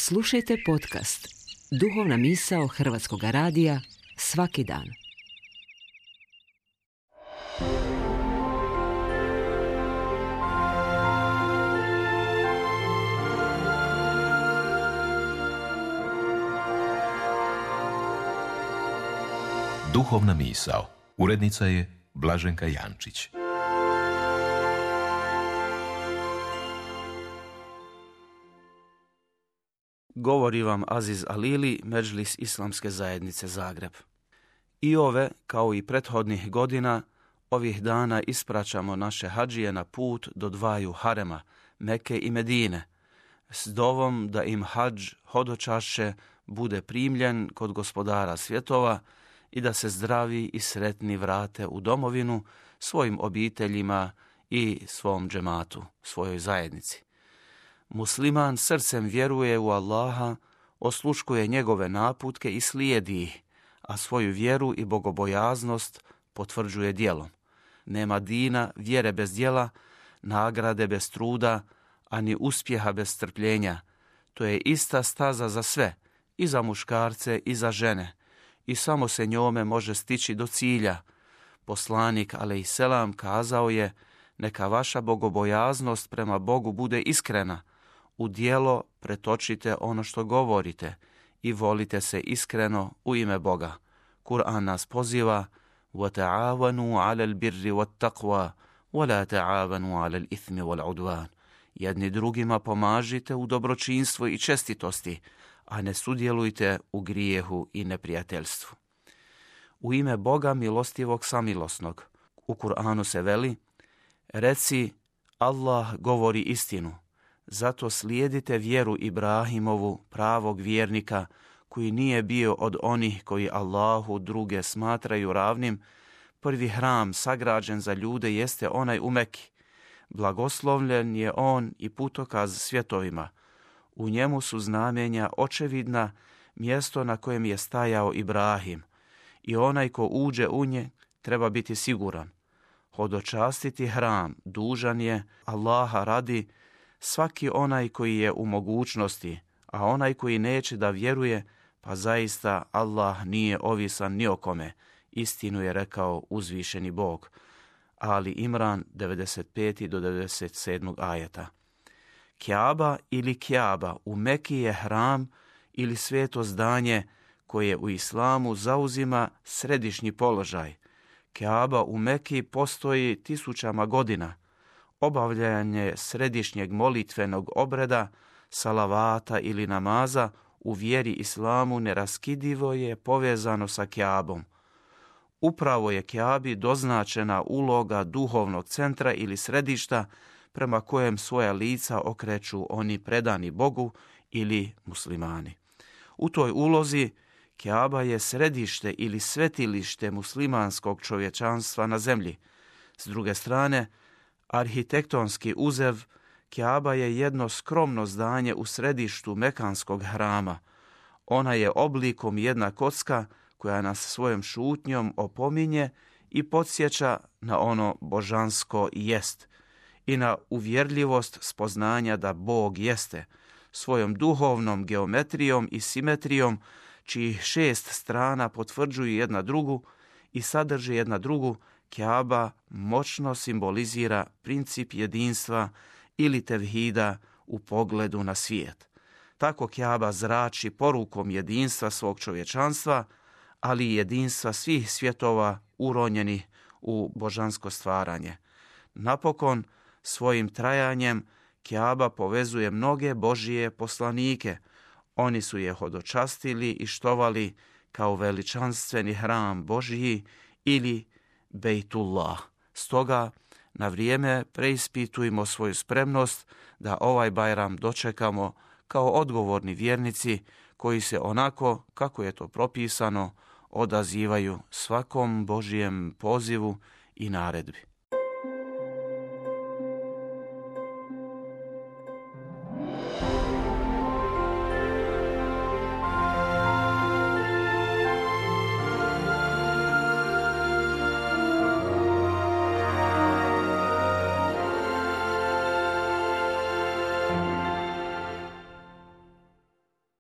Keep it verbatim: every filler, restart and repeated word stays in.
Slušajte podcast Duhovna misao Hrvatskog radija svaki dan. Duhovna misao. Urednica je Blaženka Jančić. Govori vam Aziz Alili, Medžlis Islamske zajednice Zagreb. I ove, kao i prethodnih godina, ovih dana ispraćamo naše hadžije na put do dvaju harema, Mekke i Medine, s dovom da im hadž hodočašće bude primljen kod gospodara svjetova i da se zdravi i sretni vrate u domovinu svojim obiteljima i svom džematu, svojoj zajednici. Musliman srcem vjeruje u Allaha, osluškuje njegove naputke i slijedi ih, a svoju vjeru i bogobojaznost potvrđuje djelom. Nema dina, vjere bez djela, nagrade bez truda, ani uspjeha bez strpljenja. To je ista staza za sve, i za muškarce i za žene, i samo se njome može stići do cilja. Poslanik alejselam kazao je: neka vaša bogobojaznost prema Bogu bude iskrena. U djelo pretočite ono što govorite i volite se iskreno u ime Boga. Kur'an nas poziva: وَتَعَاوَنُوا عَلَى الْبِرِّ وَالتَّقْوَى وَلَا تَعَاوَنُوا عَلَى الْإِثْمِ وَالْعُدْوَانِ. Jedni drugima pomažite u dobročinstvu i čestitosti, a ne sudjelujte u grijehu i neprijateljstvu. U ime Boga milostivog samilosnog. U Kur'anu se veli: reci, Allah govori istinu, zato slijedite vjeru Ibrahimovu, pravog vjernika, koji nije bio od onih koji Allahu druge smatraju ravnim. Prvi hram sagrađen za ljude jeste onaj u Meki. Blagoslovljen je on i putokaz svjetovima. U njemu su znamenja očevidna, mjesto na kojem je stajao Ibrahim, i onaj ko uđe u nje treba biti siguran. Hodočastiti hram dužan je Allaha radi svaki onaj koji je u mogućnosti, a onaj koji neće da vjeruje, pa zaista Allah nije ovisan ni o kome. Istinu je rekao uzvišeni Bog. Ali Imran devedeset pet do devedeset sedam ajeta. Kjaba ili Kjaba u Meki je hram ili sveto zdanje koje u islamu zauzima središnji položaj. Kjaba u Meki postoji tisućama godina. Obavljanje središnjeg molitvenog obreda, salavata ili namaza u vjeri islamu neraskidivo je povezano sa Kjabom. Upravo je Kjabi doznačena uloga duhovnog centra ili središta prema kojem svoja lica okreću oni predani Bogu ili muslimani. U toj ulozi Kjaba je središte ili svetilište muslimanskog čovječanstva na zemlji. S druge strane, arhitektonski uzev, Kjaba je jedno skromno zdanje u središtu mekanskog hrama. Ona je oblikom jedna kocka koja nas svojom šutnjom opominje i podsjeća na ono božansko jest i na uvjerljivost spoznanja da Bog jeste, svojom duhovnom geometrijom i simetrijom, čijih šest strana potvrđuju jedna drugu i sadrži jedna drugu. Kjaba moćno simbolizira princip jedinstva ili tevhida u pogledu na svijet. Tako Kjaba zrači porukom jedinstva svog čovječanstva, ali i jedinstva svih svjetova uronjenih u božansko stvaranje. Napokon, svojim trajanjem Kjaba povezuje mnoge Božije poslanike. Oni su je hodočastili i štovali kao veličanstveni hram Božiji ili Bejtullah. Stoga, na vrijeme preispitujmo svoju spremnost da ovaj Bajram dočekamo kao odgovorni vjernici koji se onako, kako je to propisano, odazivaju svakom Božijem pozivu i naredbi.